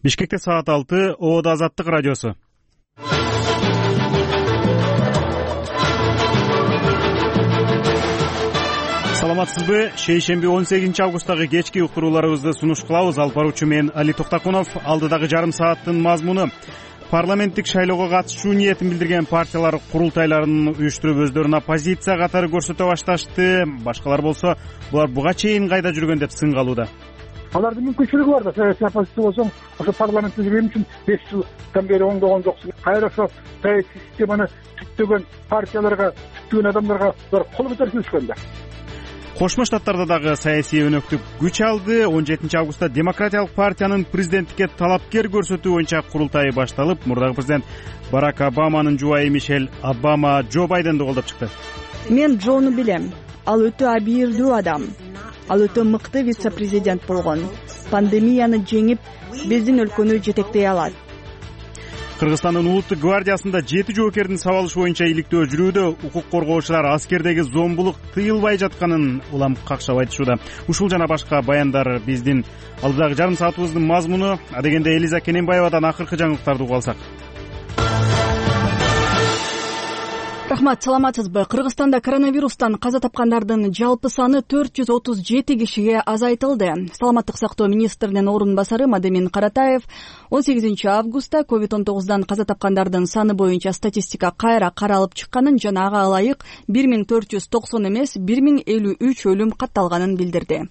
Бишкекте саат 6, Оода Азаттык радиосу. Саламатсызбы? Шейшемби 18 августтагы кечки уктурууларыбызды сунуш кылабыз. Алып баруучу мен Али Токтакунов. Алдыдагы жарым сааттын мазмуну: парламенттик шайлоого катышуу ниетин билдирген партиялар курултайларын уюштуруп өздөрүнүн оппозиция катары көрсөтө башташты. Башкалар болсо булар буга чейин кайда жүргөн деп сынгалууда. Алардын мүмкүнчүлүгү бар да, саясий оппозиция болсоң, ошо парламентте жүргөн үчүн 5 жылдан бери оңдогон жоксуң. Кайра ошо саясий системаны түптөгөн партияларга, түптөгөн адамдарга кол көтөрүшкөн да. Кошмо Штаттарда дагы саясий өнөктүк күч алды. 17 августта Демократиялык партиянын президенттикке талапкер көрсөтүү боюнча курултайы башталып, мурдагы президент Барак Обаманын жубайы Мишель Обама Джо Байденди колдоп чыкты. Мен Джону билем. Ал өтө абийирдүү адам. Ал өтө мыкты вице-президент болгон. Пандемияны жеңип, биздин өлкөнү жетектей алат. Кыргызстандын улуттук гвардиясында 7 жоокердин сабалышы боюнча иликтөө жүрүүдө. Укук коргоочулар аскердеги зомбулук тыйылбай жатканын улам какшап айтышууда. Ушул жана башка баяндар биздин алдыдагы жарым саатыбыздын мазмуну. Адегенде Элиза Кененбаевадан акыркы жаңылыктарды угуп алсак. Рахмат, саламатсызбы? Кыргызстанда коронавирустан каза тапкандардын жалпы саны 437 кишиге азайтылды. Саламаттык сактоо министринин орун басары Мадемин Каратаев 18 августта COVID-19дан каза тапкандардын саны боюнча статистика кайра каралып чыкканын жана ага ылайык 1490 эмес 1053 өлүм катталганын билдирди.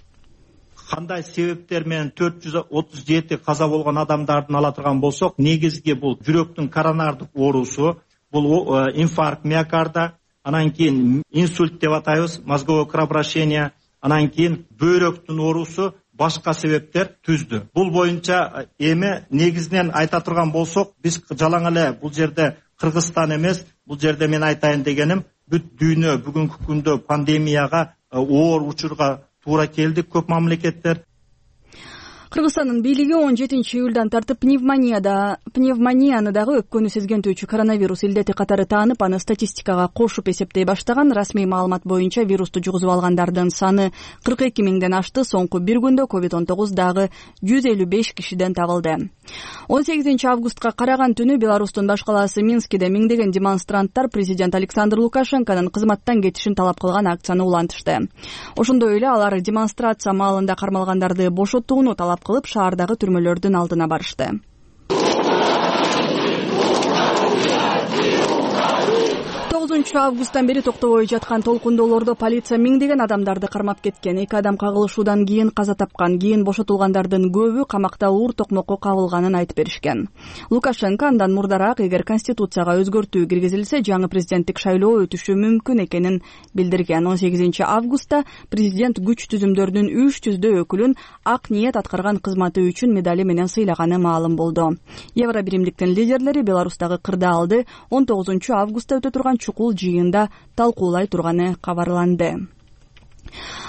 Кандай себептер менен 437 каза болгон адамдардын ала турган болсок, негизги бул жүрөктүн коронардык оорусу, бул инфаркт миокарда, анан кийин инсульт деп атайбыз, мозговое кровообращение, анан кийин бөйрөктүн оорусу, башка себептер түздү. Бул боюнча эми негизинен айта турган болсок, биз жалаң эле бул жерде Кыргызстан эмес, бул жерде мен айтайын дегеним, бүт дүйнө бүгүнкү күндө пандемияга оор учурга туура келди көп мамлекеттер. Кыргызстандын бийлиги 17 июлдан тартып пневмонияны дагы өпкөнү сезгентүүчү коронавирус илдети катары таанып, аны статистикага кошуп эсептей баштаган. Расмий маалымат боюнча вирусту жугузуп алгандардын саны 42 миңден ашты. Соңку бир күндө COVID-19 дагы 155 кишиден табылды. 18 августка караган түнү Беларустун баш калаасы Минскиде миңдеген демонстранттар президент Александр Лукашенконун кызматтан кетишин талап кылган акцияны улантышты. Ошондой эле алар демонстрация маалында кармалгандарды бошотууну талап кылып, шаардагы түрмөлөрдүн алдына барышты. 9 августтан бери токтобой жаткан толкундоолордо полиция миңдеген адамдарды кармап кеткен. 2 адам кагылышуудан кийин каза тапкан. Кийин бошотулгандардын көбү камакта уур токмокко кабылганын айтып беришкен. Лукашенко андан мурдараак эгер конституцияга өзгөртүү киргизилсе, жаңы президенттик шайлоо өтүшү мүмкүн экенин билдирген. 18 августта президент күч түзүмдөрүнүн 300 өкүлүн ак ниет аткарган кызматы үчүн медали менен сыйлаганы маалым болду. Евро биримдиктин лидерлери Беларустагы кырдаалды 19 августта өтө турган чукул жыйында талкуулай турганы кабарланды.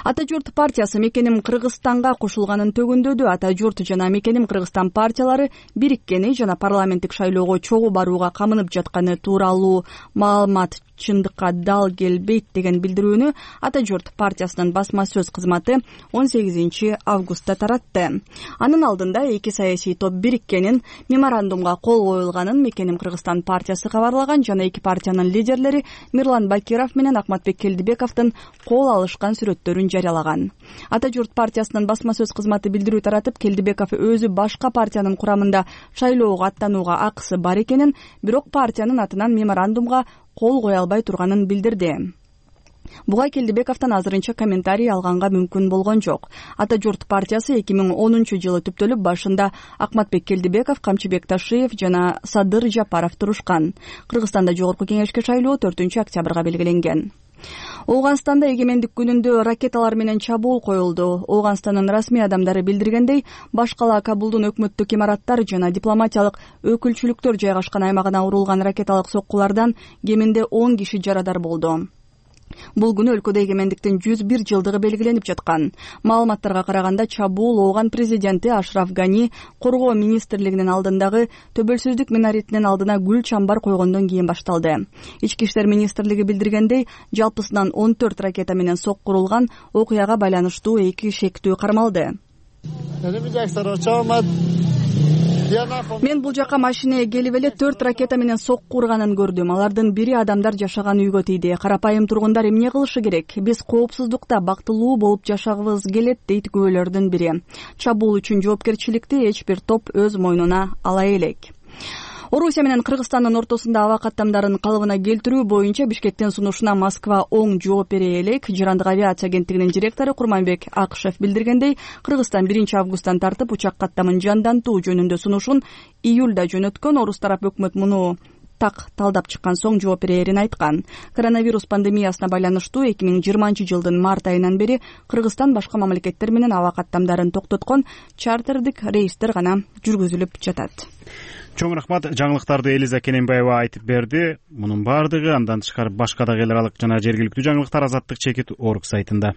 Ата журт партиясы Мекеним Кыргызстанга кошулганын төгүндөдү. Ата журт жана Мекеним Кыргызстан партиялары бириккени жана парламенттик шайлоого чогуу барууга камынып жатканы тууралуу маалымат чындыкка дал келбейт деген билдирүүнү Ата журт партиясынын басма сөз кызматы 18 августта таратты. Анын алдында эки саясий топ бириккенин, меморандумга кол коюлганын Мекеним Кыргызстан партиясы кабарлаган жана эки партиянын лидерлери Мирлан Бакиров менен Акматбек Келдибековдун кол алышкан сүрөттөрүн жарыялаган. Ата журт партиясынын басма сөз кызматы билдирүү таратып, Келдибеков өзү башка партиянын курамында шайлоого аттанууга акысы бар экенин, бирок партиянын атынан меморандумга кол кое албай турганын билдирди. Буга Келдибековдон азырынча комментарий алганга мүмкүн болгон жок. Ата журт партиясы 2010 жылы түптөлүп, башында Акматбек Келдибеков, Камчыбек Ташиев жана Садыр Жапаров турушкан. Кыргызстанда жогорку кеңешке шайлоо 4 октябрга белгиленген. Ооганстанда эгемендик күнүндө ракеталар менен чабуул коюлду. Ооганстандын расмий адамдары билдиргендей, баш кала Кабулдун өкмөттүк имараттар жана дипломатиялык өкүлчүлүктөр жайгашкан аймагына урулган ракеталык соккулардан кеминде 10 киши жарадар болду. Бул күнү өлкөдө эгемендиктин 101 жылдыгы белгиленип жаткан. Маалыматтарга караганда, чабуул Ооган президенти Ашраф Гани коргоо министрлигинин алдындагы төбөлсүздүк минаритинин алдына гүл чамбар койгондон кийин башталды. Ички иштер министрлиги билдиргендей, жалпысынан 14 ракета менен соккурулган, окуяга байланыштуу 2 шектүү кармалды. Мен бул жака машинеге келип эле 4 ракета менен сокку урганын көрдүм. Алардын бири адамдар жашаган үйгө тийди. Карапайым тургундар эмне кылышы керек? Биз коопсуздукта бактылуу болуп жашагыбыз келет, дейт күбөлөрдүн бири. Чабуул үчүн жоопкерчиликти эч бир топ өз мойнуна ала элек. Орусия менен Кыргызстандын ортосунда аба каттамдарын калыбына келтирүү боюнча Бишкектин сунушуна Москва оң жооп бере элек. Жырандык авиация агенттигинин директору Курманбек Акышев билдиргендей, Кыргызстан 1-августтан тартып учак каттамын жандантуу жөнүндө сунушун июлда жөнөткөн. Орус тарап өкмөт муну так талдап чыккан соң жооп берерин айткан. Коронавирус пандемиясына байланыштуу 2020-жылдын март айынан бери Кыргызстан башка мамлекеттер менен аба каттамдарын токтоткон, чартердик рейстер гана жүргүзүлүп жатат. Чоң рахмат. Жаңылыктарды Элиза Кененбаева айтып берди. Мунун баардыгы андан тышкары башка да эл аралык жана жергиликтүү жаңылыктар Азаттык чекит орг сайтында.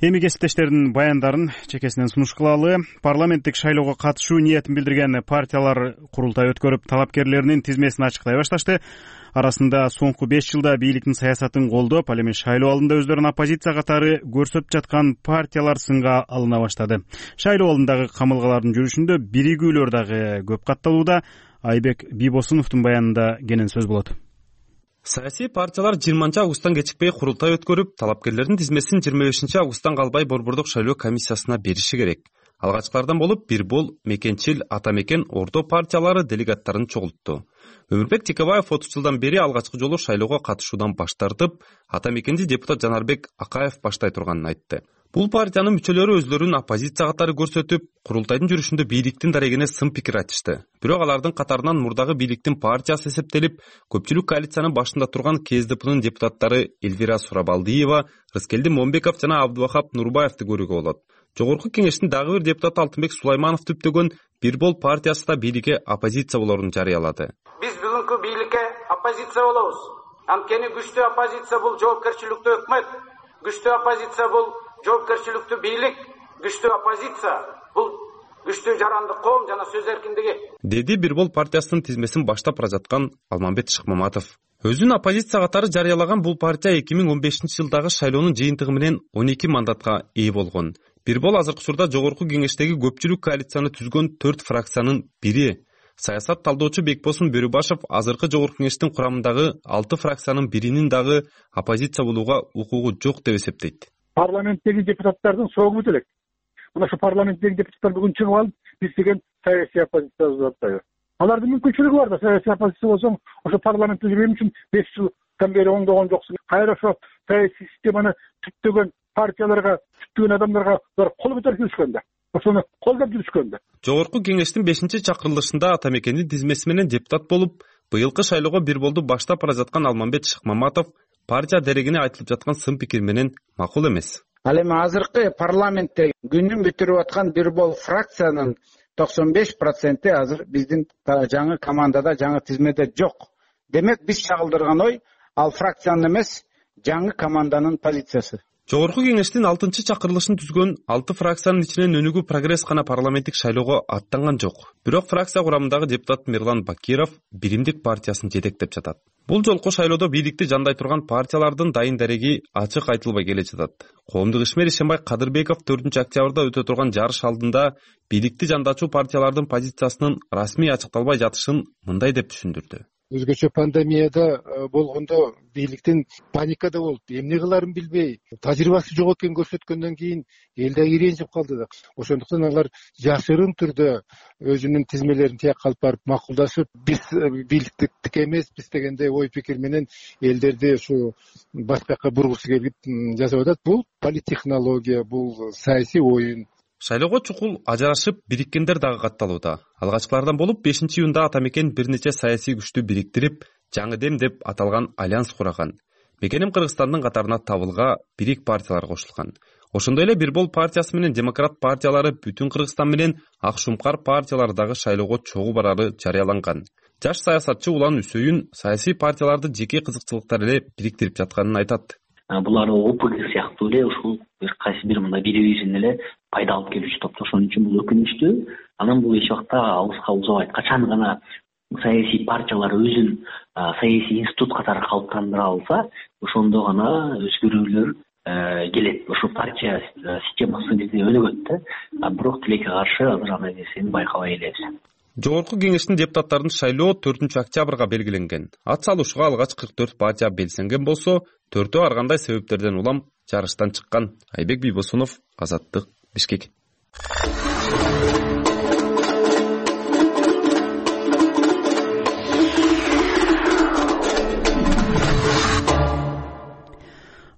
Эми кесиптештердин баяндарын чекесинен сунуш кылалы. Парламенттик шайлоого катышуу ниетин билдирген партиялар курултай өткөрүп, талапкерлеринин тизмесин ачыктай башташты. Арасында соңку 5 жылда бийликтин саясатын колдоп, ал эми шайлоо алдында өздөрүн оппозиция катары көрсөтүп жаткан партиялар сынга алына баштады. Шайлоо алдындагы камылгалардын жүрүшүндө биригүүлөр дагы көп катталууда. Айбек Бибосуновдун баянында кенен сөз болот. Саясий партиялар 20-августтан кечикпей курултай өткөрүп, талапкерлердин тизмесин 25-августтан калбай борбордук шайлоо комиссиясына бериши керек. Алгачкылардан болуп Бирбол, Мекенчил, Ата Мекен, Ордо партиялары делегаттарын чогултту. Өмүрбек Текебаев 30 жылдан бери алгачкы жолу шайлоого катышуудан баш тартып, Ата Мекенди депутат Жанарбек Акаев баштай турганын айтты. Бул партиянын мүчөлөрү өздөрүн оппозиция катары көрсөтүп, курултайдын жүрүшүндө бийликтин дарегине сын пикир айтышты. Бирок алардын катарынан мурдагы бийликтин партиясы эсептелип, көпчүлүк коалициянын башында турган КСДПнын депутаттары Эльвира Сурабалдиева, Рыскелди Момбеков жана Абдувахап Нурбаевди көрүүгө болот. Жогорку кеңештин дагы бир депутаты Алтынбек Сулайманов түптөгөн Бирбол партиясы да бийликке оппозиция болорун жарыялады. Биз бүгүнкү бийликке оппозиция болобуз. Анткени күчтүү оппозиция бул жоопкерчиликтүү өкмөт, күчтүү оппозиция бул жоопкерчиликтүү бийлик, күчтүү оппозиция бул күчтүү жарандык коом жана сөз эркиндиги, деди Бирбол партиясынын тизмесин баштап бара жаткан Алмамбет Шыкмаматов. Өзүн оппозиция катары жарыялаган бул партия 2015-жылдагы шайлоонун жыйынтыгы менен 12 мандатка ээ болгон. Бирбол азыркы учурда жогорку кеңештеги көпчүлүк коалицияны түзгөн 4 фракциянын бири. Саясат талдоочу Бекбосун Бөрүбашев азыркы жогорку кеңештин курамындагы 6 фракциянын биринин дагы оппозиция болууга укугу жок деп эсептейт. Парламенттеги депутаттардын согу бүт элек. Мына ошо парламенттеги депутаттар бүгүн чыгып алып, биз деген саясий оппозиция деп атпайбы? Алардын мүмкүнчүлүгү бар да, саясий оппозиция болсоң, ошо парламентте жүргөн үчүн 5 жылдан бери оңдогон жоксуң. Кайра ошо саясий системаны түптөгөн партияларга, түптөгөн адамдарга кол көтөрүп жүрүшкөн да. Ошону колдоп жүрүшкөн да. Жогорку кеңештин 5-чакырылышында Ата Мекендин тизмеси менен депутат болуп, быйылкы шайлоого Бирболду баштап бара жаткан Алмамбет Шыкмаматов партия дерегине айтылып жаткан сын пикир менен макул эмес. Ал эми азыркы парламентте күнүн бүтүрүп аткан Бирбол фракциянын 95% азыр биздин жаңы командада, жаңы тизмеде жок. Демек биз чагылдырган ой ал фракциянын эмес, жаңы команданын позициясы. Жогорку кеңештин 6-чакырылышын түзгөн 6 фракциянын ичинен өнүгүү прогресс гана парламенттик шайлоого аттанган жок. Бирок фракция курамындагы депутат Мирлан Бакиров Биримдик партиясын жетектеп жатат. Бул жолку шайлоодо бийликти жандай турган партиялардын дайын дареги ачык айтылбай келе жатат. Коомдук ишмер Ишенбай Кадырбеков 4-октябрда өтө турган жарыш алдында бийликти жандачуу партиялардын позициясынын расмий ачыкталбай жатышын мындай деп түшүндүрдү. Өзгөчө пандемияда болгондо бийликтин паникада болуп, эмне кыларын билбей, тажрыйбасы жок экенин көрсөткөндөн кийин эл дагы иренжип калды да. Ошондуктан алар жашырын түрдө өзүнүн тизмелерин тияк алып барып макулдашып, биз бийликтик эмеспиз дегендей ой пикир менен элдерди ушу башка жака бургусу келип жасап атат. Бул политтехнология, бул саясий оюн. Шайлоого чукул ажырашып бириккендер дагы катталууда. Алгачкылардан болуп 5-июнда Ата Мекен бир нече саясий күчтү бириктирип, жаңы дем деп аталган альянс кураган. Мекеним Кыргызстандын катарына табылга бирик партиялар кошулган. Ошондой эле Бирбол партиясы менен Демократ партиялары Бүтүн Кыргызстан менен Ак Шумкар партиялары дагы шайлоого чогуу барары жарыяланган. Жаш саясатчы Улан Үсөйүн саясий партияларды жеке кызыкчылыктар эле бириктирип жатканын айтат. Булар ОПГ сыяктуу эле ушул кайсы бир мындай бири-бирин эле пайда алып келүүчү топ. Ошон үчүн бул өкүнүчтүү. Анан бул эч убакта алыска узабайт. Качан гана саясий партиялар өзүн саясий институт катары калыптандыра алса, ошондо гана өзгөрүүлөр келет. Ошо партия системасы бизде өнүгөт да. Бирок тилекке каршы азыр андай нерсени байкабай элебиз. Жогорку кеңештин депутаттарын шайлоо 4-октябрга белгиленген. Ат салуушуга алгач 44 партия белсенген болсо, 4-өө ар кандай себептерден улам жарыштан чыккан. Айбек Бийбосунов, Азаттык, Бишкек.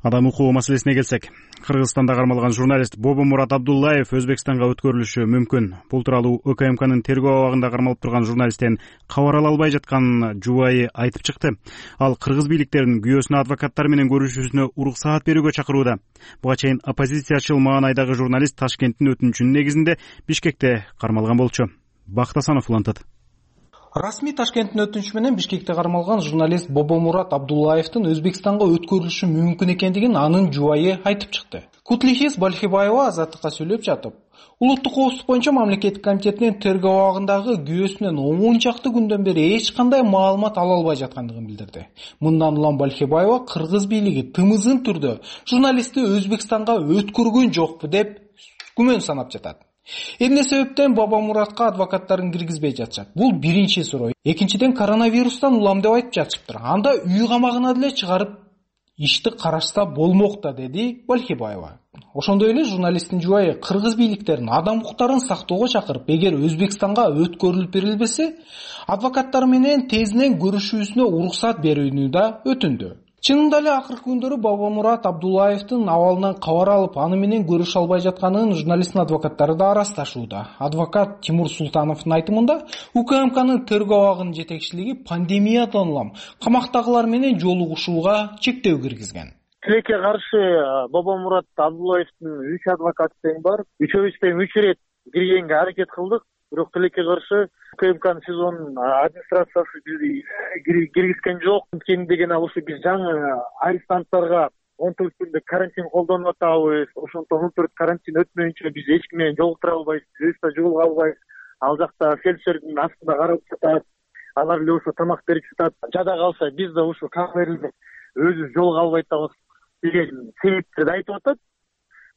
Адам укугу маселесине келсек, Кыргызстанда кармалган журналист Бобомурат Абдуллаев Өзбекстанга өткөрүлүшү мүмкүн. Бул тууралуу УКМКнын тергөө абагында кармалып турган журналисттен кабар ала албай жаткан жубайы айтып чыкты. Ал кыргыз бийликтерин күйөөсүнө адвокаттар менен көрүшүүсүнө уруксаат берүүгө чакырууда. Буга чейин оппозициячыл маанайдагы журналист Ташкенттин өтүнүчүнүн негизинде Бишкекте кармалган болчу. Бактасанов улантат. Расмий Ташкенттин өтүнүчү менен Бишкекте кармалган журналист Бобомурат Абдуллаевдин Өзбекстанга өткөрүлүшү мүмкүн экендигин анын жубайы айтып чыкты. Кутлихис Балхибаева Азаттыкка сүйлөп жатып, улуттук коопсуздук боюнча мамлекеттик комитетинин тергөө абагындагы күйөөсүнөн 10 чакты күндөн бери эч кандай маалымат ала албай жаткандыгын билдирди. Мындан улам Балхибаева кыргыз бийлиги тымызын түрдө журналистти Өзбекстанга өткөргөн жокпу деп күмөн санап жатат. Эмне себептен Бобомуратка адвокаттарын киргизбей жатышат? Бул биринчи суроо. Экинчиден, коронавирустан улам деп айтып жатышыптыр. Анда үй камагына деле чыгарып ишти карашса болмок да, деди Балхибаева. Ошондой эле журналисттин жубайы кыргыз бийликтерин адам укуктарын сактоого чакырып, эгер Өзбекстанга өткөрүлүп берилбесе, адвокаттар менен тезинен көрүшүүсүнө уруксат берүүнү да өтүндү. Чынында эле акыркы күндөрү Бобомурат Абдуллаевдин абалынан кабар алып, аны менен көрүшө албай жатканын журналисттин адвокаттары да арасташууда. Адвокат Тимур Султановдун айтымында, УКМКнын тергөө абагынын жетекчилиги пандемиядан улам камактагылар менен жолугушууга чектөө киргизген. Тилекке каршы Бобомурат Абдуллаевдин 3 адвокаты тең бар. Үчөөбүз тең 3 ирет киргенге аракет кылдык. Бирок тилекке каршы УКМКнын СИЗОнун администрациясы бизди киргизген жок. Анткени деген ушу биз жаңы арестанттарга 14 күндүк карантин колдонуп атабыз. Ошондон 14 карантин өтмөйүнчө биз эч ким менен жолуктура албайбыз, өзүбүздө жолуга албайбыз. Ал жакта фельдшердин астында карап жатат. Алар эле ошо тамак берип жатат. Жада калса биз да ошо камерде өзүбүз жолуга албай атабыз деген себептерди айтып атат.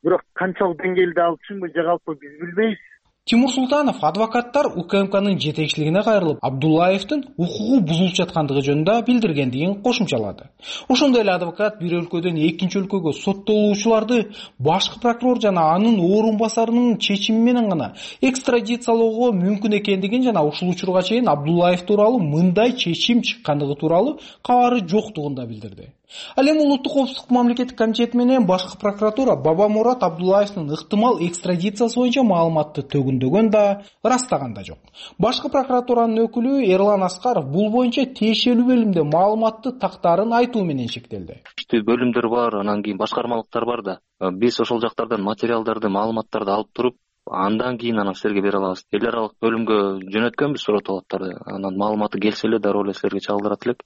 Бирок канчалык деңгээлде ал чынбы же калпы биз билбейбиз. Тимур Султанов адвокаттар УКМКнын жетекчилигине кайрылып, Абдуллаевдин укугу бузулуп жаткандыгы жөнүндө билдиргендигин кошумчалады. Ошондой эле адвокат бир өлкөдөн экинчи өлкөгө соттолуучуларды башкы прокурор жана анын орун басарынын чечими менен гана экстрадициялоого мүмкүн экендигин жана ушул учурга чейин Абдуллаев тууралуу мындай чечим чыккандыгы тууралуу кабары жоктугун да билдирди. Ал эми улуттук коопсуздук мамлекеттик комитети менен башкы прокуратура Бобомурат Абдуллаевдин ыктымал экстрадициясы боюнча маалыматты төгүндөгөн да, ырастаган да жок. Башкы прокуратуранын өкүлү Эрлан Аскаров бул боюнча тиешелүү бөлүмдө маалыматты тактаарын айтуу менен чектелди. Бөлүмдөр бар, анан кийин башкармалыктар бар да. Биз ошол жактардан материалдарды, маалыматтарды алып туруп, андан кийин анан силерге бере алабыз. Эл аралык бөлүмгө жөнөткөнбүз суротолоттарды. Анан маалыматы келсе эле дароо эле силерге чагылдырат элек.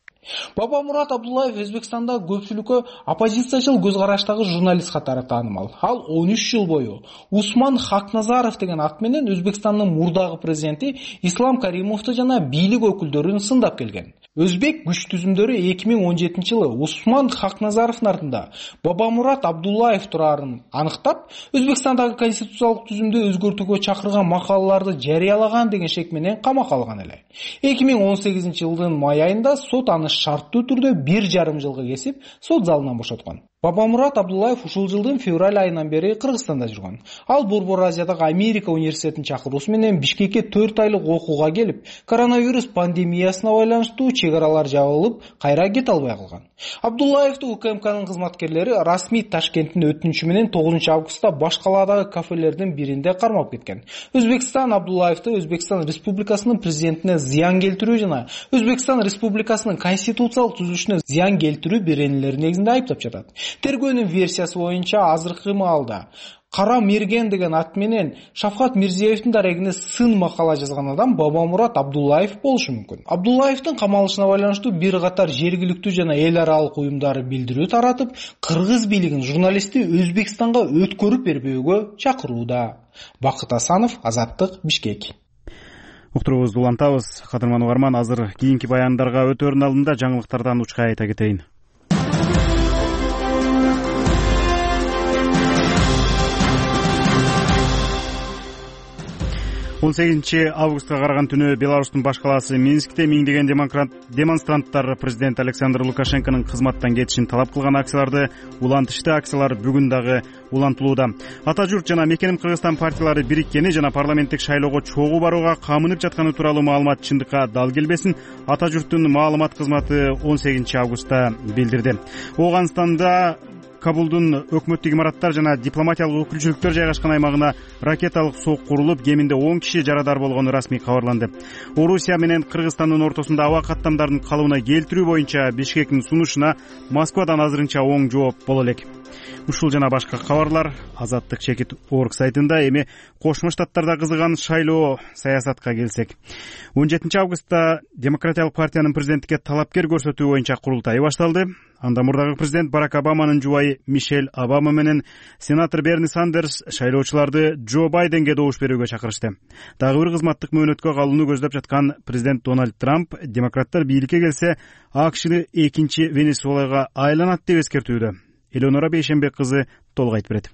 Бобомурат Абдуллаев Өзбекстанда көпчүлүккө оппозициячыл көз караштагы журналист катары таанымал. Ал 13 жыл бою Усман Хакназаров деген ат менен Өзбекстандын мурдагы президенти Ислам Каримовду жана бийлик өкүлдөрүн сындап келген. Өзбек күч түзүмдөрү 2017 жылы Усман Хакназаровдун артында Бобомурат Абдуллаев турарын аныктап, Өзбекстандагы конституциялык түзүмдү өзгөртүүгө чакырган макалаларды жарыялаган деген шек менен камакка алган эле. 2018 жылдын май айында сот аны шарттуу түрдө 1,5 жылга кесип, сот залынан бошоткон. Бобомурат Абдуллаев ушул жылдын февраль айынан бери Кыргызстанда жүргөн. Ал Борбор Азиядагы Америка университетинин чакыруусу менен Бишкекке 4 айлык окууга келип, коронавирус пандемиясына байланыштуу чек аралар жабылып, кайра кете албай калган. Абдуллаевди УКМКнын кызматкерлери расмий Ташкенттин өтүнүчү менен 9 августта баш калаадагы кафелердин биринде кармап кеткен. Өзбекстан Абдуллаевди Өзбекстан Республикасынын президентине зыян келтирүү жана Өзбекстан Республикасынын конституциялык түзүлүшүнө зыян келтирүү беренелери негизинде айыптап жатат. Тергөөнүн версиясы боюнча азыркы маалда Кара Мерген деген ат менен Шавкат Мирзиевдин дарегине сын макала жазган адам Бобомурат Абдуллаев болушу мүмкүн. Абдуллаевдин камалышына байланыштуу бир катар жергиликтүү жана эл аралык уюмдары билдирүү таратып, кыргыз бийлигин журналистти Өзбекстанга өткөрүп бербөөгө чакырууда. Бакыт Асанов, Азаттык, Бишкек. уктуруубузду улантабыз. Кадырман угарман, азыр кийинки баяндарга өтөөрүнүн алдында жаңылыктардан учкай айта кетейин. 18 августка караган түнү Беларустун баш калаасы Минскте миңдеген демонстранттар президент Александр Лукашенконун кызматтан кетишин талап кылган акцияларды улантышты. Акциялар бүгүн дагы улантылууда. Ата журт жана Мекеним Кыргызстан партиялары бириккени жана парламенттик шайлоого чогуу барууга камынып жатканы тууралуу маалымат чындыкка дал келбесин Ата журттун маалымат кызматы 18 августта билдирди. Ооганстанда Кабулдун өкмөттүк имараттар жана дипломатиялык өкүлчүлүктөр жайгашкан аймагына ракеталык сок курулуп, кеминде 10 киши жарадар болгону расмий кабарланды. Орусия менен Кыргызстандын ортосунда аба каттамдарын калыбына келтирүү боюнча Бишкектин сунушуна Москвадан азырынча оң жооп боло элек. Ушул жана башка кабарлар Азаттык чекит орг сайтында. Эми Кошмо Штаттарда кызыган шайлоо саясатка келсек. 17 августта Демократиялык партиянын президенттикке талапкер көрсөтүү боюнча курултай башталды. Анда мурдагы президент Барак Обаманын жубайы Мишель Обама менен сенатор Берни Сандерс шайлоочуларды Джо Байденге добуш берүүгө чакырышты. Дагы бир кызматтык мөөнөткө калууну көздөп жаткан президент Дональд Трамп демократтар бийликке келсе АКШны экинчи Венесуэлага айланат деп эскертүүдө. Элеонора Бейшенбек кызы толук айтып берет.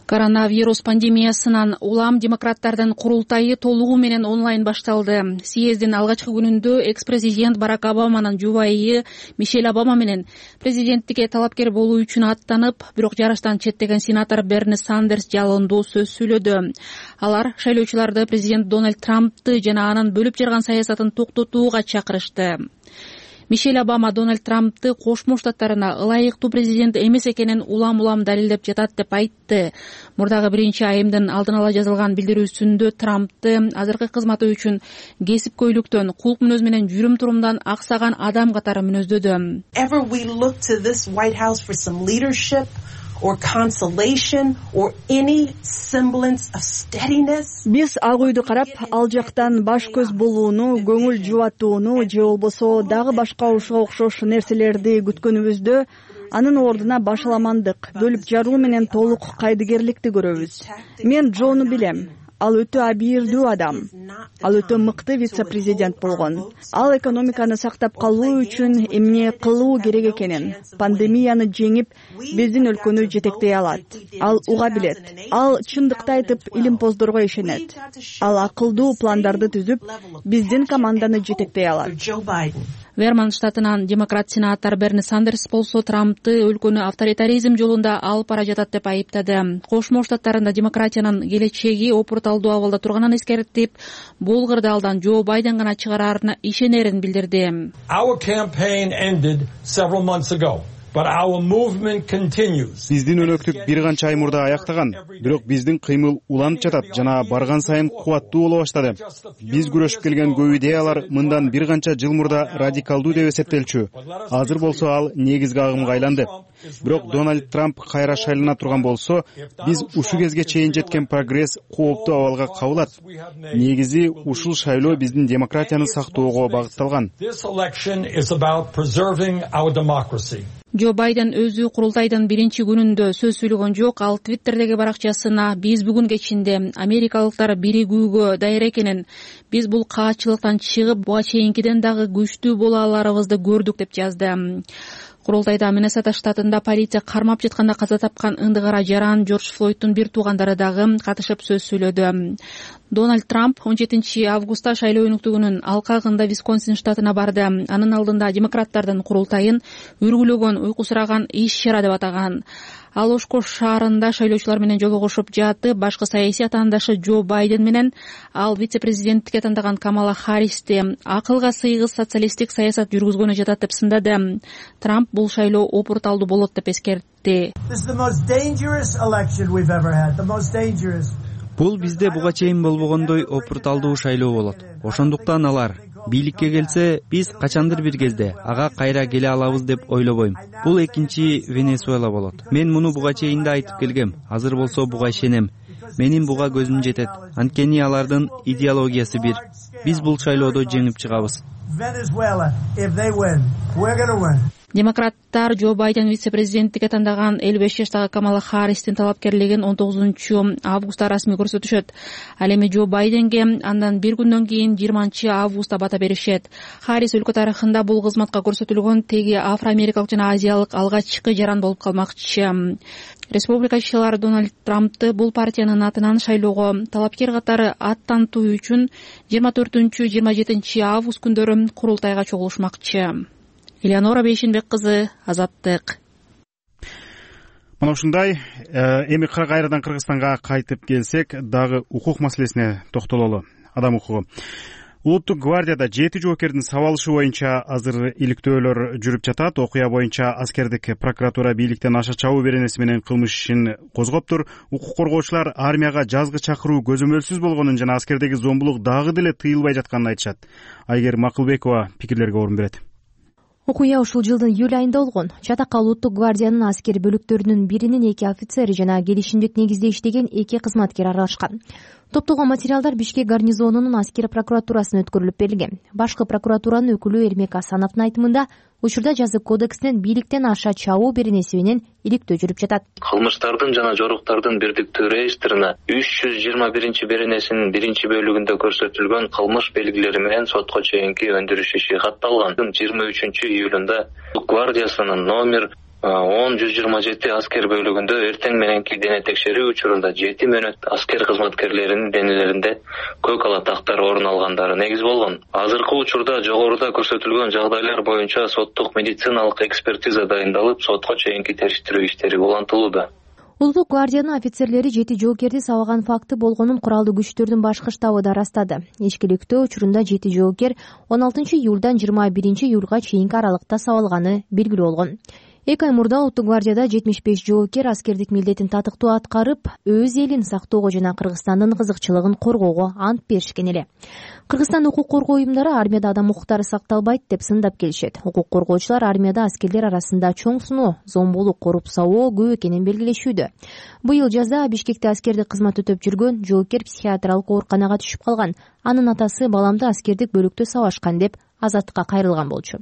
Коронавирус пандемиясынан улам демократтардын курултайы толугу менен онлайн башталды. Съездин алгачкы күнүндө экс-президент Барак Обаманын жубайы Мишель Обама менен президенттикке талапкер болуу үчүн аттанып, бирок жарыштан четтеген сенатор Берни Сандерс жалондуу сөз сүйлөдү. Алар шайлоочуларды президент Дональд Трампты жана анын бөлүп жарган саясатын токтотууга чакырышты. Мишель Обама Дональд Трампты Кошмо Штаттарына ылайыктуу президент эмес экенин улам далилдеп жатат деп айтты. Мурдагы 1-айымдын алдын ала жазылган билдирүүсүндө Трампты азыркы кызматы үчүн кесипкөйлүктөн, кулк мүнөз менен жүрүм турумдан аксаган адам катары мүнөздөдү. Биз ак үйдү карап, ал жактан баш көз болууну, көңүл жубатууну же болбосо дагы башка ушуга окшош нерселерди күткөнүбүздө анын ордуна башаламандык, бөлүп жаруу менен толук кайдыгерликти көрөбүз. Мен Джону билем. Ал өтө абийирдүү адам. Ал өтө мыкты вице-президент болгон. Ал экономиканы сактап калуу үчүн эмне кылуу керек экенин, пандемияны жеңип, биздин өлкөнү жетектей алат. Ал уга билет. Ал чындыкты айтып, илимпоздорго ишенет. Ал акылдуу пландарды түзүп, биздин команданы жетектей алат. Вермонт штатынан демократ сенатор Берни Сандерс болсо Трампты өлкөнү авторитаризм жолунда алып бара жатат деп айыптады. Кошмо Штаттарында демократиянын келечеги опурталдуу абалда турганын эскертип, бул кырдаалдан Джо Байден гана чыгарарына ишенерин билдирди. Биздин өнөктүк бир канча ай мурда аяктаган, бирок биздин кыймыл уланып жатат жана барган сайын кубаттуу боло баштады. Биз күрөшүп келген көп идеялар мындан бир канча жыл мурда радикалдуу деп эсептелчү. Азыр болсо ал негизги агымга айланды. Бирок Дональд Трамп кайра шайлана турган болсо, биз ушу кезге чейин жеткен прогресс кооптуу абалга кабылат. Негизи ушул шайлоо биздин демократияны сактоого багытталган. Джо Байден өзү курултайдын 1-күнүндө сөз сүйлөгөн жок. Ал Твиттердеги баракчасына биз бүгүн кечинде америкалыктар биригүүгө даяр экенин, биз бул каатчылыктан чыгып, буга чейинкиден дагы күчтүү боло аларыбызды көрдүк деп жазды. Курултайда Миннесота штатында полиция кармап жатканда каза тапкан ындыгара жаран Джордж Флойдтун бир туугандары дагы катышып сөз сүйлөдү. Дональд Трамп 17 августта шайлоо өнүктүгүнүн алкагында Висконсин штатына барды. Анын алдында демократтардын курултайын үргүлөгөн, уйкусураган иш-чара деп атаган. Ал Ошкош шаарында шайлоочулар менен жолугушуп жатып, башкы саясий атаандашы Джо Байден менен ал вице-президенттикке тандаган Камала Харристи акылга сыйгыз социалисттик саясат жүргүзгөнү жатат деп сындады. Трамп бул шайлоо опурталдуу болот деп эскертти. Бул бизде буга чейин болбогондой опурталдуу шайлоо болот. Ошондуктан алар бийликке келсе, биз качандыр бир кезде ага кайра келе алабыз деп ойлобойм. Бул экинчи Венесуэла болот. Мен муну буга чейин да айтып келгем. Азыр болсо буга ишенем. Менин буга көзүм жетет. Анткени алардын идеологиясы бир. Биз бул шайлоодо жеңип чыгабыз. демократтар Джо Байден вице-президенттикке тандаган 55 жаштагы Камала Харристин талапкерлигин 19-августта расмий көрсөтүшөт. Ал эми Джо Байденге андан бир күндөн кийин 20-августта бата беришет. Харрис өлкө тарыхында бул кызматка көрсөтүлгөн теги афро-америкалык жана азиялык алгачкы жаран болуп калмакчы. Республикачылар Дональд Трампты бул партиянын атынан шайлоого талапкер катары аттантуу үчүн 24-27 август күндөрү курултайга чогулушмакчы. Элеонора Бейшенбек кызы, Азаттык. Мына ушундай. Эми кайрадан Кыргызстанга кайтып келсек, дагы укук маселесине токтололу. Адам укугу. Улуттук гвардияда 7 жоокердин сабалышы боюнча азыр иликтөөлөр жүрүп жатат. Окуя боюнча аскердик прокуратура бийликтен аша чабуу беренеси менен кылмыш ишин козгоптур. Укук коргоочулар армияга жазгы чакыруу көзөмөлсүз болгонун жана аскердеги зомбулук дагы деле тыйылбай жатканын айтышат. Айгер Макылбекова пикирлерге орун берет. Окуя ушул жылдын июль айында болгон. Чатакка улуттук гвардиянын аскер бөлүктөрүнүн биринин 2 офицери жана келишимдик негизде иштеген 2 кызматкер аралашкан. Топтолгон материалдар Бишкек гарнизонунун аскер прокуратурасына өткөрүлүп берилген. Башкы прокуратуранын өкүлү Эрмек Асановдун айтымында, учурда жазык кодексинен бийликтен аша чабуу беренеси менен иликтөө жүрүп жатат. Кылмыштардын жана жоруктардын бирдиктүү реестрина 321 беренесинин 1-бөлүгүндө көрсөтүлгөн кылмыш белгилери менен сотко чейинки өндүрүш иши катталган. 23-июлунда гвардиясынын номер 10-127 аскер бөлүгүндө эртең мененки дене текшерүү учурунда 7 мөөнөт аскер кызматкерлеринин денелеринде көк ала тактар орун алгандары негиз болгон. Азыркы учурда жогоруда көрсөтүлгөн жагдайлар боюнча соттук медициналык экспертиза дайындалып, сотко чейинки териштирүү иштери улантылууда. Улуттук гвардиянын офицерлери 7 жоокерди сабаган факты болгонун куралдуу күчтөрдүн башкы штабы да ырастады. Ичкиликтөө учурунда 7 жоокер 16-июлдан 21-июлга чейинки аралыкта сабалганы белгилүү болгон. 2 ай мурда улуттук гвардияда 75 жоокер аскердик милдетин татыктуу аткарып, өз элин сактоого жана Кыргызстандын кызыкчылыгын коргоого ант беришкен эле. Кыргызстан укук коргоо уюмдары армияда адам укуктары сакталбайт деп сындап келишет. Укук коргоочулар армияда аскерлер арасында чоң суноо, зомбулук, коррупсия көп экенин белгилешүүдө. Быйыл жазда Бишкекте аскердик кызмат өтөп жүргөн жоокер психиатриялык ооруканага түшүп калган. Анын атасы баламды аскердик бөлүктө сабашкан деп Азаттыкка кайрылган болчу.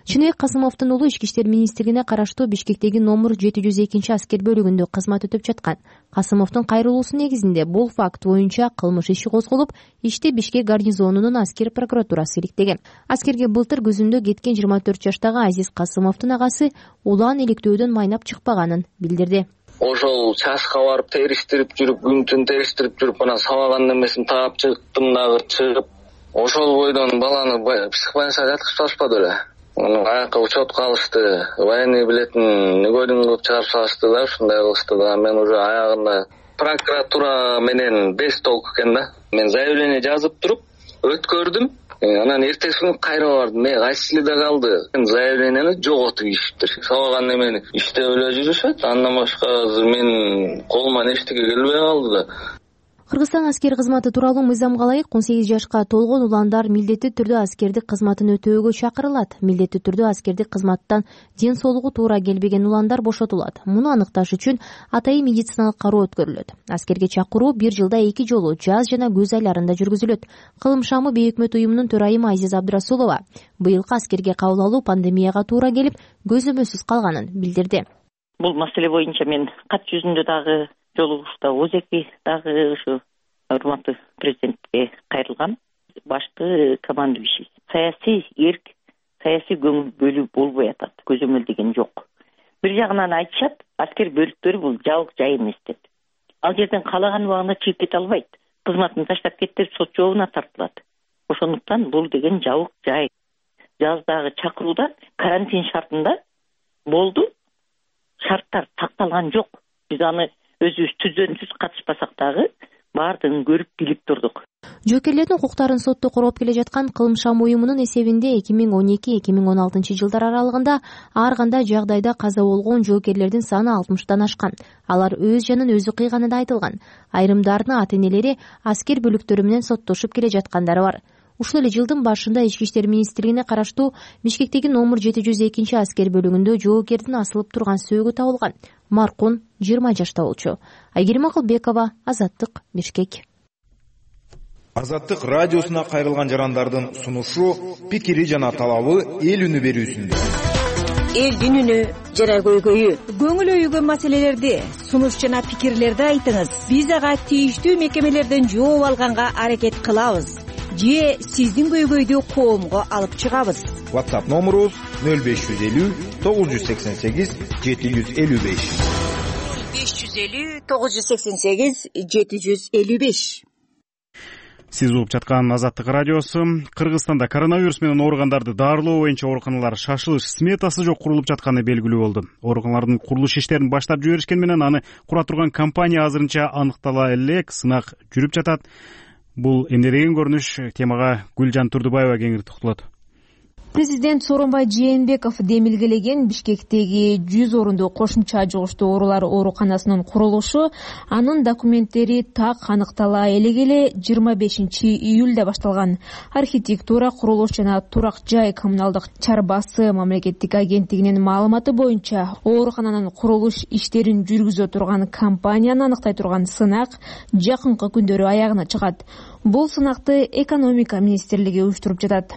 Чыныбек Касымовдун уулу Ички иштер министрлигине караштуу Бишкектеги номер 702 аскер бөлүгүндө кызмат өтөп жаткан. Касымовдун кайрылуусу негизинде бул факт боюнча кылмыш иши козголуп, ишти Бишкек гарнизонунун аскер прокуратурасы иликтеген. Аскерге былтыр күзүндө кеткен 24 жаштагы Азиз Касымовдун агасы улан иликтөөдөн майнап чыкпаганын билдирди. Ошол чашка барып териштирип жүрүп, күн түн териштирип жүрүп, анан сабаган немесин таап чыктым, дагы чыгып, ошол бойдон баланы психбольницага жаткызбашпады эле. Аякка учет калышты, военный билетин негоден кылып чыгарып салышты да, ушундай кылышты да. Мен уже аягында прокуратура менен беш толк экен да. Мен заявление жазып туруп өткөрдүм. Анан эртеси күнү кайра бардым. Мен кайсы эле калды. Заявлениени жоготуп ийишиптир. Сабаган немени иштеп эле жүрүшөт. Андан башка мен колуман эчтеке келбей калды да. Кыргызстан аскер кызматы тууралуу мыйзамга ылайык 18 жашка толгон уландар милдеттүү түрдө аскердик кызматын өтөөгө чакырылат. Милдеттүү түрдө аскердик кызматтан ден соолугу туура келбеген уландар бошотулат. Муну аныкташ үчүн атайын медициналык кароо өткөрүлөт. Аскерге чакыруу 1 жылда 2 жолу жаз жана көз айларында жүргүзүлөт. Кылым шамы бейөкмөт уюмунун төрайымы Азиз Абдрасулова быйылкы аскерге кабыл алуу пандемияга туура келип, көзөмөлсүз калганын билдирди. Бул маселе боюнча мен кат жүзүндө дагы жолугушта ОЗЕКи дагы ушу урматтуу президентке кайрылгам. Башкы командующий саясий эрк, саясий көңүл бөлүү болбой атат. Көзөмөл деген жок. Бир жагынан айтышат, аскер бөлүктөрү бул жабык жай эмес деп. Ал жерден каалаган убагында чыгып кете албайт. Кызматын таштап кетип сот жообуна тартылат. Ошондуктан бул деген жабык жай. Жаздагы чакырууда карантин шартында болду. Шарттар сакталган жок. Биз аны өзүбүз түздөнсүз катышпасак дагы баардыгын көрүп билип турдук. Жоокерлердин укуктарын сотто короп келе жаткан Кылым шам уюмунун эсебинде 2012-2016 жылдар аралыгында ар кандай жагдайда каза болгон жоокерлердин саны 60тан ашкан. Алар өз жанын өзү кыйганы да айтылган. Айрымдарынын ата-энелери аскер бөлүктөрү менен соттошуп келе жаткандары бар. Ушул эле жылдын башында Ички иштер министрлигине караштуу Бишкектеги номер 702 аскер бөлүгүндө жоокердин асылып турган сөөгү табылган. Маркун 20 жашта болчу. Айгерим Акылбекова, Азаттык, Бишкек. Азаттык радиосуна кайрылган жарандардын сунушу, пикири жана талабы эл үнү берүүсүндө. элдин үнү жана көйгөйү. Көңүл өйгөн маселелерди, сунуш жана пикирлерди айтыңыз. Биз ага тийиштүү мекемелерден жооп алганга аракет кылабыз же сиздин көйгөйдү коомго алып чыгабыз. WhatsApp номерубуз 0550 988 755. 550 988 755. Сиз угуп жаткан Азаттык радиосу. Кыргызстанда коронавирус менен ооругандарды дарылоо боюнча ооруканалар шашылыш сметасы жок курулуп жатканы белгилүү болду. Ооруканалардын курулуш иштерин баштап жиберишкен менен аны кура турган компания азырынча аныктала элек, сынак жүрүп жатат. Бул эмне деген көрүнүш? Темага Гүлжан Турдубаева кеңири токтолот. Президент Сооронбай Жээнбеков демилгелеген Бишкектеги 100 орунду кошумча жугуштуу оорулар ооруканасынын курулушу анын документтери так аныктала элек 25-июлда башталган. Архитектура, курулуш жана турак жай коммуналдык чарбасы мамлекеттик агенттигинин маалыматы боюнча оорукананын курулуш иштерин жүргүзө турган компанияны аныктай турган сынак жакынкы күндөрү аягына чыгат. Бул сынакты экономика министрлиги уюштуруп жатат.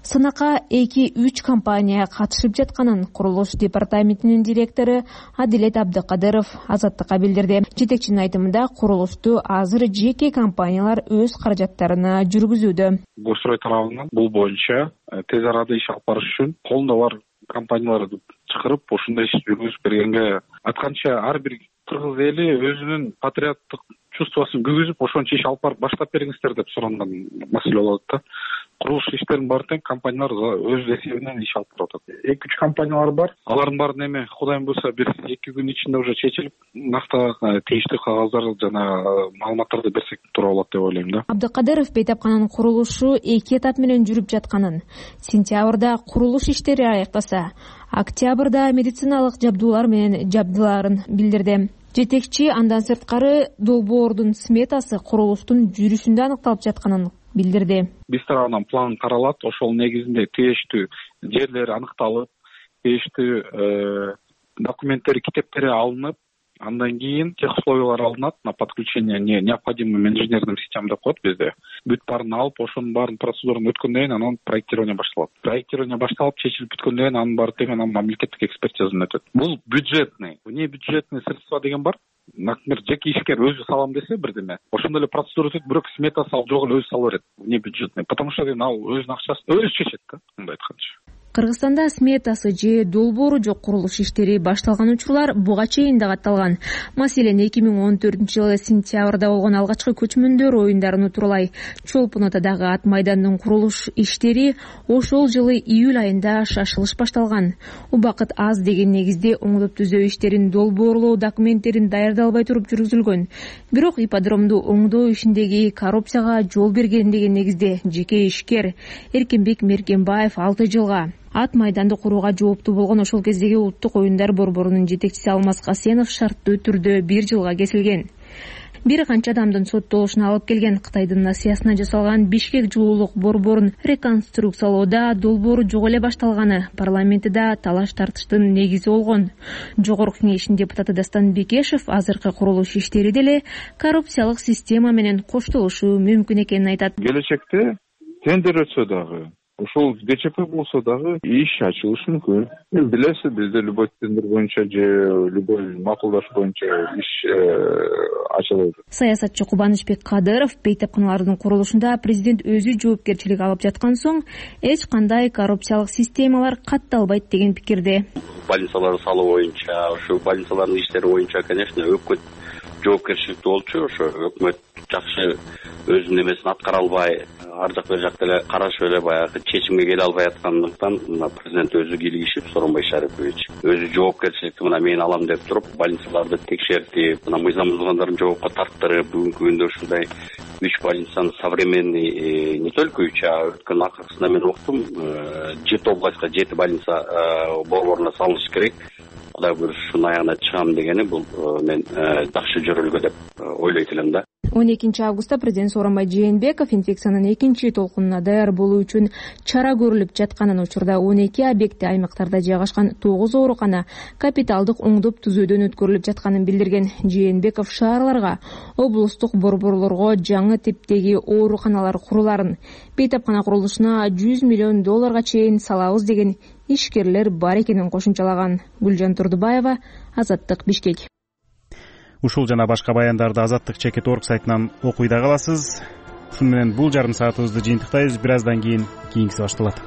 Сынакка 2-3 компания катышып жатканын курулуш департаментинин директору Адилет Абдыкадыров Азаттыкка билдирди. Жетекчинин айтымында курулушту азыр жеке компаниялар өз каражаттарына жүргүзүүдө. Госстрой тарабынан бул боюнча тез арада иш алып барыш үчүн колунда бар компанияларды чакырып, ушундай иш жүргүзүп бергенге айтканча ар бир кыргыз эли өзүнүн патриоттук чувствосун күгүзүп, ошончо иш алып барып баштап бериңиздер деп суранган маселе болот да. Курулуш иштерин баары тең компаниялар өз эсебинен иш алып барып атат. 2-3 компаниялар бар. Алардын баарын эми Кудайым буйрса бир 2 күн ичинде уже чечилип, накта тийиштүү кагаздар жана маалыматтарды берсек туура болот деп ойлойм да. Абдыкадыров бейтапкананын курулушу 2 этап менен жүрүп жатканын, сентябрда курулуш иштери аяктаса, октябрда медициналык жабдуулар менен жабдыларын билдирди. Жетекчи андан сырткары долбоордун сметасы курулуштун жүрүшүндө аныкталып жатканын билдирди. Биз тарабынан план каралат, ошол негизинде тийиштүү жерлери аныкталып, тийиштүү документтери, китептери алынып, андан кийин тех условиялар алынат на подключение необходимым инженерным системам деп коет бизде. Бүт баарын алып, ошонун баарын процедураны өткөндөн кийин анан проектирование башталат. Проектирование башталып, чечилип бүткөндөн кийин анын баары тең анан мамлекеттик экспертизадан өтөт. Бул бюджетный, вне бюджетный средства деген бар. Например, жеке ишкер өзү салам десе бирдеме, ошондой эле процедура өтөт, бирок сметасы ал жок эле өзү салып берет. Вне бюджетный, потому что ал өзүнүн акчасын өзү чечет да, мындай айтканча. Кыргызстанда сметасы же долбоору жок курулуш иштери башталган учурлар буга чейин да катталган. Маселен 2014-жылы сентябрда болгон алгачкы көчмөндөр оюндарын утурлай Чолпон Атадагы ат майдандын курулуш иштери ошол жылы июль айында шашылыш башталган. Убакыт аз деген негизде оңдоп түзөө иштерин долбоорлоо документтерин даярдалбай туруп жүргүзүлгөн. Бирок ипподромду оңдоо ишиндеги коррупцияга жол берген деген негизде жеке ишкер Эркинбек Меркенбаев 6 жылга, ат майданды курууга жооптуу болгон ошол кездеги улуттук оюндар борборунун жетекчиси Алмаз Касенов шарттуу түрдө 1 жылга кесилген. Бир канча адамдын соттолушуна алып келген Кытайдын Насиясына жасалган Бишкек жылуулук борборун реконструкциялоодо долбоору жок эле башталганы парламентте талаш тартыштын негизи болгон. Жогорку кеңештин депутаты Дастан Бекешев азыркы курулуш иштери деле коррупциялык система менен коштолушу мүмкүн экенин айтат. Келечекте тендер өтсө дагы, ошол ГЧП болсо дагы иш ачылышы мүмкүн. Билесиз, бизде любой тендер боюнча же любой макулдаш боюнча иш ачылат. Саясатчы Кубанычбек Кадыров бейтапканалардын курулушунда президент өзү жоопкерчилик алып жаткан соң эч кандай коррупциялык системалар катталбайт деген пикирде. Больницаларды салуу боюнча, ошо больницалардын иштери боюнча, конечно, өкмөт жоопкерчиликти болчу, ошо өкмөт жакшы өзүнүн эмесин аткара албай, ар жак бер жакта эле карашып эле баягы чечимге келе албай аткандыктан президент өзү кийлигишип, Сооронбай Шарипович өзү жоопкерчиликти мен алам деп туруп, больницаларды текшертип, мыйзам бузгандарын жоопко тарттырып, бүгүнкү күндө ушундай 3 больницаны современный, не только 3, а өткөн акыркысында мен уктум, 7 областка 7 больница борборуна салыныш керек. Кудай буйруса ушунун аягына чыгам дегени бул мен жакшы жөрөлгө деп ойлойт элем да. 12 августта президент Сооронбай Жээнбеков инфекциянын экинчи толкунуна даяр болуу үчүн чара көрүлүп жатканын, учурда 12 объекти аймактарда жайгашкан 9 оорукана капиталдык оңдоп түзөөдөн өткөрүлүп жатканын билдирген. Жээнбеков шаарларга, облустук борборлорго жаңы типтеги ооруканалар куруларын, бейтапкана курулушуна $100 миллион чейин салабыз деген ишкерлер бар экенин кошумчалаган. Гүлжан Турдубаева, Азаттык, Бишкек. Ушул жана башка баяндарды Азаттык чекит орг сайтынан окуй да каласыз. Ушуну менен бул жарым саатыбызды жыйынтыктайбыз. Бир аздан кийин кийинкиси башталат.